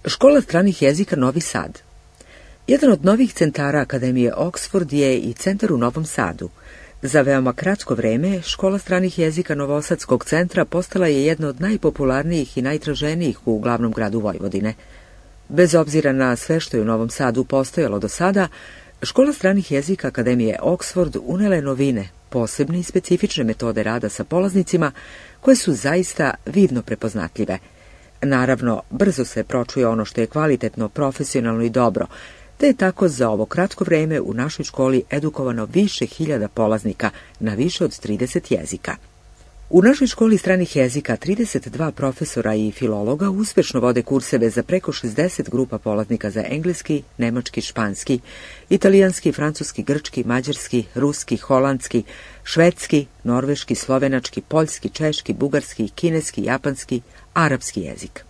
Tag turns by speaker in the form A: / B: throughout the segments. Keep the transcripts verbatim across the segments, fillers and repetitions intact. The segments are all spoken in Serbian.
A: Škola stranih jezika Novi Sad. Jedan od novih centara Akademije Oxford je i centar u Novom Sadu. Za veoma kratko vreme, Škola stranih jezika Novosadskog centra postala je jedna od najpopularnijih i najtraženijih u glavnom gradu Vojvodine. Bez obzira na sve što je u Novom Sadu postojalo do sada, Škola stranih jezika Akademije Oxford unela je novine, posebne i specifične metode rada sa polaznicima, koje su zaista vidno prepoznatljive. Naravno, brzo se pročuje ono što je kvalitetno, profesionalno i dobro, te je tako za ovo kratko vreme u našoj školi edukovano više hiljada polaznika na više od trideset jezika. U našoj školi stranih jezika trideset dva profesora i filologa uspešno vode kurseve za preko šezdeset grupa polaznika za engleski, nemački, španski, italijanski, francuski, grčki, mađarski, ruski, holandski, švedski, norveški, slovenački, poljski, češki, bugarski, kineski, japanski, arapski jezik.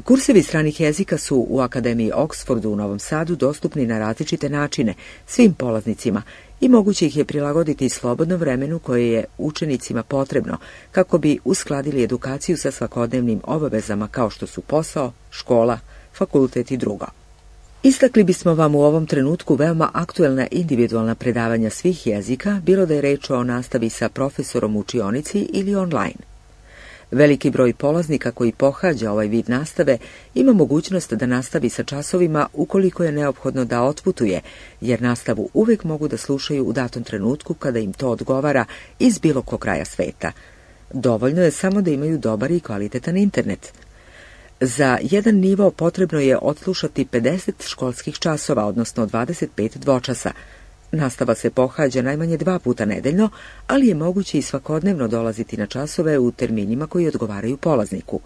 A: Kursevi stranih jezika su u Akademiji Oxfordu u Novom Sadu dostupni na različite načine svim polaznicima i moguće ih je prilagoditi slobodnom vremenu koje je učenicima potrebno kako bi uskladili edukaciju sa svakodnevnim obavezama kao što su posao, škola, fakultet i drugo. Istakli bismo vam u ovom trenutku veoma aktuelna individualna predavanja svih jezika, bilo da je reč o nastavi sa profesorom u učionici ili online. Veliki broj polaznika koji pohađa ovaj vid nastave ima mogućnost da nastavi sa časovima ukoliko je neophodno da otputuje, jer nastavu uvek mogu da slušaju u datom trenutku kada im to odgovara iz bilo kog kraja sveta. Dovoljno je samo da imaju dobar i kvalitetan internet. Za jedan nivo potrebno je odslušati pedeset školskih časova, odnosno dvadeset pet dvočasa. Nastava se pohađa najmanje dva puta nedeljno, ali je moguće i svakodnevno dolaziti na časove u terminima koji odgovaraju polazniku.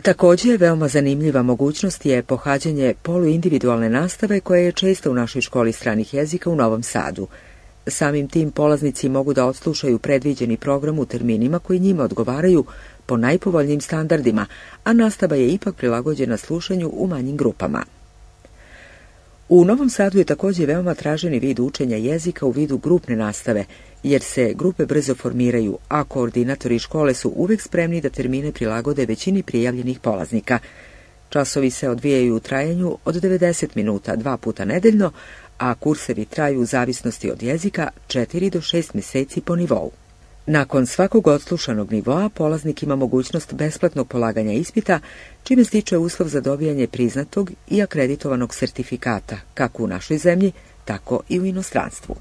A: Također, veoma zanimljiva mogućnost je pohađanje poluindividualne nastave koja je česta u našoj školi stranih jezika u Novom Sadu. Samim tim polaznici mogu da odslušaju predviđeni program u terminima koji njima odgovaraju po najpovoljnijim standardima, a nastava je ipak prilagođena slušanju u manjim grupama. U Novom Sadu je također veoma traženi vid učenja jezika u vidu grupne nastave, jer se grupe brzo formiraju, a koordinatori škole su uvek spremni da termine prilagode većini prijavljenih polaznika. Časovi se odvijaju u trajanju od devedeset minuta, dva puta nedeljno, a kursevi traju u zavisnosti od jezika četiri do šest meseci po nivou. Nakon svakog odslušanog nivoa, polaznik ima mogućnost besplatnog polaganja ispita, čime stiče uslov za dobijanje priznatog i akreditovanog sertifikata, kako u našoj zemlji, tako i u inostranstvu.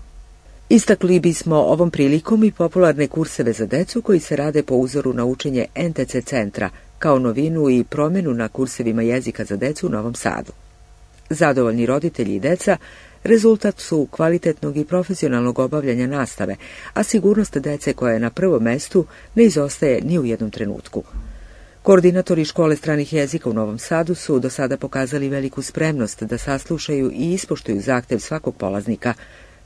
A: Istakli bismo ovom prilikom i popularne kurseve za decu koji se rade po uzoru na učenje en te ce centra, kao novinu i promjenu na kursevima jezika za decu u Novom Sadu. Zadovoljni roditelji i deca rezultat su kvalitetnog i profesionalnog obavljanja nastave, a sigurnost dece koja je na prvom mestu ne izostaje ni u jednom trenutku. Koordinatori škole stranih jezika u Novom Sadu su do sada pokazali veliku spremnost da saslušaju i ispoštuju zahtev svakog polaznika.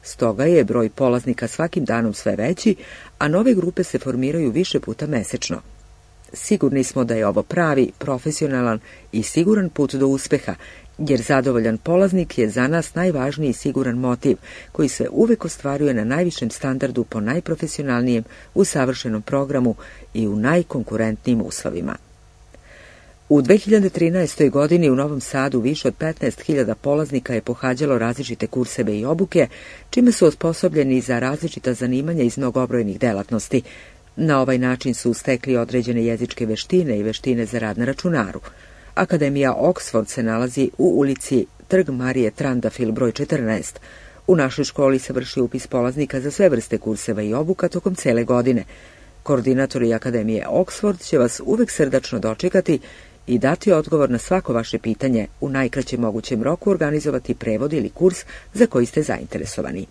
A: Stoga je broj polaznika svakim danom sve veći, a nove grupe se formiraju više puta mesečno. Sigurni smo da je ovo pravi, profesionalan i siguran put do uspeha, jer zadovoljan polaznik je za nas najvažniji siguran motiv, koji se uvek ostvaruje na najvišem standardu po najprofesionalnijem, usavršenom programu i u najkonkurentnijim uslovima. U dve hiljade trinaestoj. godini u Novom Sadu više od petnaest hiljada polaznika je pohađalo različite kurseve i obuke, čime su osposobljeni za različita zanimanja iz mnogobrojnih delatnosti. Na ovaj način su stekli određene jezičke veštine i veštine za rad na računaru. Akademija Oxford se nalazi u ulici Trg Marije Trandafil broj četrnaest. U našoj školi se vrši upis polaznika za sve vrste kurseva i obuka tokom cele godine. Koordinatori Akademije Oxford će vas uvek srdačno dočekati i dati odgovor na svako vaše pitanje, u najkraćem mogućem roku organizovati prevod ili kurs za koji ste zainteresovani.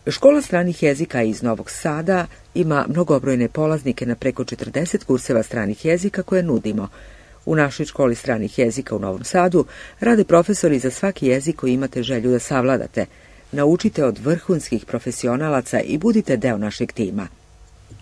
A: Škola stranih jezika iz Novog Sada ima mnogobrojne polaznike na preko četrdeset kurseva stranih jezika koje nudimo. U našoj školi stranih jezika u Novom Sadu rade profesori za svaki jezik koji imate želju da savladate. Naučite od vrhunskih profesionalaca i budite deo našeg tima.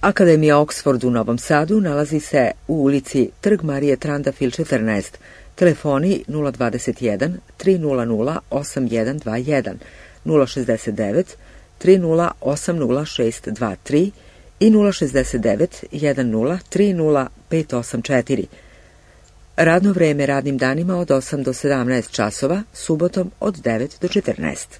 A: Akademija Oxford u Novom Sadu nalazi se u ulici Trg Marije Trandafil četrnaest. Telefoni nula dvadeset jedan tri nula nula osam jedan dva jedan, nula šezdeset devet tri nula osam nula šest dva tri i nula šezdeset devet jedan nula tri nula pet osam četiri. Radno vreme radnim danima od osam do sedamnaest časova, subotom od devet do četrnaest.